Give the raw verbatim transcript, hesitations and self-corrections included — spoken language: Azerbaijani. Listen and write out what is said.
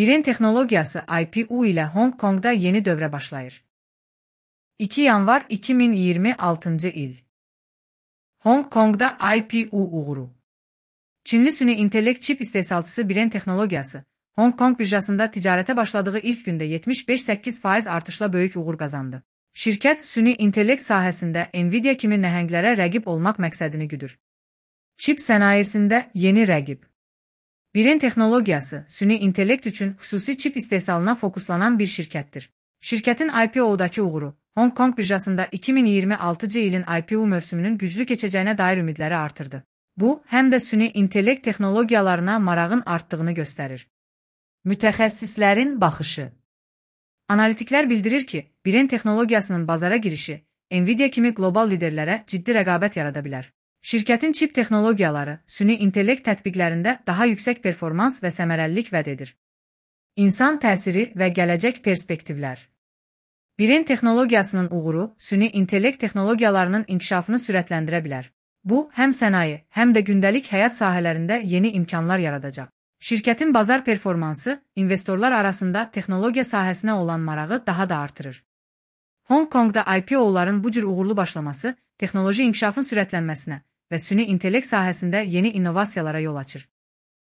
Birin texnologiyası I P O ile Hong Kong'da yeni dövrə başlayır. iki yanvar iki min iyirmi altıncı il. Hong Kong'da I P O uğuru. Çinli süni intellekt çip istehsalçısı Birin Texnologiyası, Hong Kong birjasında ticarete başladığı ilk gündə yetmiş beş nöqtə səkkiz faiz artışla böyük uğur qazandı. Şirkət süni intellekt sahəsində Nvidia kimi nəhənglərə rəqib olmaq məqsədini güdür. Çip sənayesində yeni rəqib. Birin Texnologiyası, süni intellekt üçün xüsusi çip istehsalına fokuslanan bir şirkətdir. Şirkətin I P O'dakı uğuru, Hong Kong birjasında iki min iyirmi altıncı ilin I P O mövsümünün güclü keçəcəyinə dair ümidləri artırdı. Bu, həm də süni intellekt texnologiyalarına marağın artdığını göstərir. Mütəxəssislərin baxışı. Analitiklər bildirir ki, Birin Texnologiyasının bazara girişi, Nvidia kimi qlobal liderlərə ciddi rəqabət yarada bilər. Şirkətin çip texnologiyaları, süni intellekt tətbiqlərində daha yüksək performans və səmərəlilik vəd edir. İnsan təsiri və gələcək perspektivlər. Birin Texnologiyasının uğuru, süni intellekt texnologiyalarının inkişafını sürətləndirə bilər. Bu, həm sənaye, həm də gündəlik həyat sahələrində yeni imkanlar yaradacaq. Şirkətin bazar performansı, investorlar arasında texnologiya sahəsinə olan marağı daha da artırır. Hong Kong'da I P O'ların bu cür uğurlu başlaması, texnoloji inkişafın sürətlənməsinə və süni intellekt sahəsində yeni innovasiyalara yol açır.